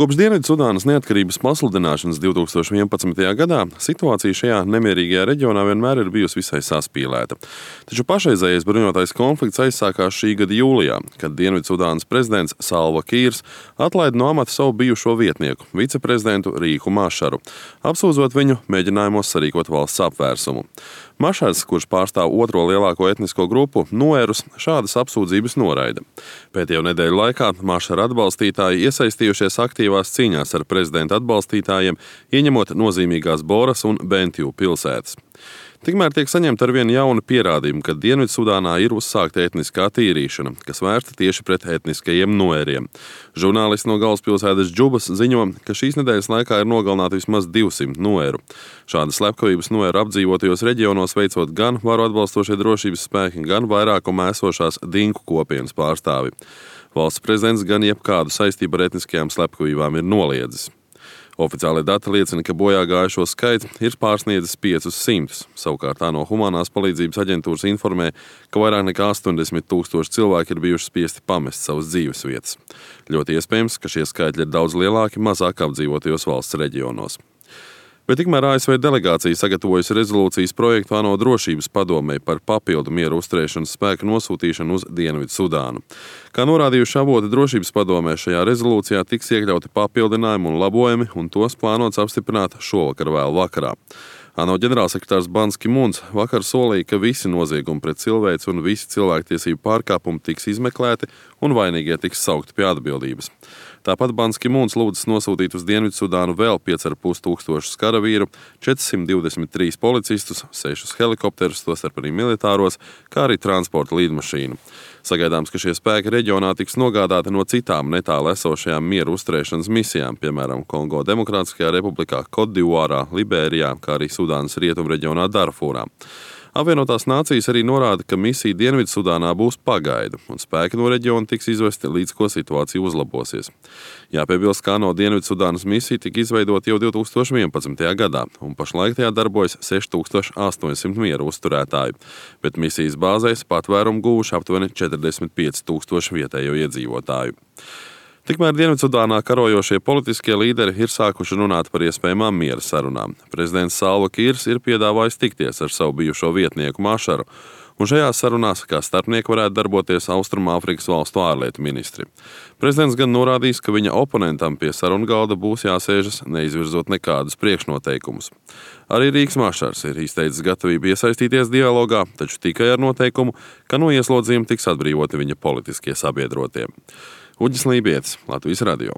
Kopš Dienvidsudānas neatkarības pasludināšanas 2011. gadā situācija šajā nemierīgajā reģionā vienmēr ir bijusi visai saspīlēta. Taču pašreizējais bruņotais konflikts aizsākās šī gada jūlijā, kad Dienvidsudānas prezidents Salva Kīrs atlaida no amata savu bijušo vietnieku, viceprezidentu Rīku Mašaru, apsūdzot viņu mēģinājumos sarīkot valsts apvērsumu. Mašars, kurš pārstāv otro lielāko etnisko grupu, Nuerus, šādas apsūdzības noraida. Pēdējo nedēļu laikā Mašara atbalstītāji iesaistījušies aktīvās cīņās ar prezidenta atbalstītājiem, ieņemot nozīmīgās Boras un Bentju pilsētas. Tikmēr tiek saņemta arvien jauni pierādījumi, ka Dienvidsudānā ir uzsākta etniskā tīrīšana, kas vērsta tieši pret etniskajiem nuēriem. Žurnālisti no galvaspilsētas Džubas ziņo, ka šīs nedēļas laikā ir nogalināti vismaz 200 nuēru. Šādas slepkavības nuēru apdzīvotajos reģionos veicot gan varu atbalstošie drošības spēki, gan vairākumā esošās dinku kopienas pārstāvi. Valsts prezidents gan jebkādu saistību ar etniskajām slepkavībām ir noliedzis. Oficiālie dati liecina, ka bojā gājušo skaits ir pārsniedzis 500. Savukārt ANO humanās palīdzības aģentūras informē, ka vairāk nekā 80,000 cilvēki ir bijuši spiesti pamest savas dzīvesvietas. Ļoti iespējams, ka šie skaitļi ir daudz lielāki mazāk apdzīvotajos valsts reģionos. Bet tikmēr ASV delegācija sagatavojusi rezolūcijas projektu ANO drošības padomei par papildu mieru uzturēšanas spēku nosūtīšanu uz Dienvidsudānu. Kā norādījuši avoti drošības padomē, šajā rezolūcijā tiks iekļauti papildinājumi un labojumi, un tos plānots apstiprināt šovakar vēl vakarā. ANO ģenerālsekretārs Bans Ki-mūns vakar solīja, ka visi noziegumi pret cilvēci un visi cilvēktiesību pārkāpumi tiks izmeklēti un vainīgie tiks saukti pie atbildības. Tāpat Bans Ki-mūns lūdzas nosūtīt uz Dienvidsudānu vēl 5,500 karavīru, 423 policistus, 6 helikopterus, tostarp arī militāros, kā arī transporta līdmašīnu. Sagaidāms, ka šie spēki reģionā tiks nogādāti no citām netālu esošajām mieru uzturēšanas misijām, piemēram, Kongo Demokrātiskajā republikā, Kotdivuārā, Liberijā, kā arī Sudānas rietumreģionā Darfūrā. Apvienotās nācijas arī norāda, ka misija Dienvidsudānā būs pagaidu, un spēki no reģiona tiks izvesti līdz ko situācija uzlabosies. Jāpiebilst, ka ANO Dienvidsudānas misija tika izveidota jau 2011. gadā, un pašlaik tajā darbojas 6800 mieru uzturētāju, bet misijas bāzēs patvērumu guvuši aptuveni 45,000 vietējo iedzīvotāju. Tikmēr Dienvidsudānā karojošie politiskie līderi ir sākuši runāt par iespējamām miera sarunām. Prezidents Salva Kīrs ir piedāvājis tikties ar savu bijušo vietnieku Mašaru, un šajās sarunās kā starpnieki varētu darboties Austrumāfrikas valstu ārlietu ministri. Prezidents gan norādījis, ka viņa oponentam pie sarunu galda būs jāsēžas, neizvirzot nekādus priekšnoteikumus. Arī Rīks Mašars ir izteicis gatavību iesaistīties dialogā, taču tikai ar noteikumu, ka no ieslodzījuma tiks atbrīvoti viņa politiskie sabiedrotie. Uģis Lībietis, Latvijas radio.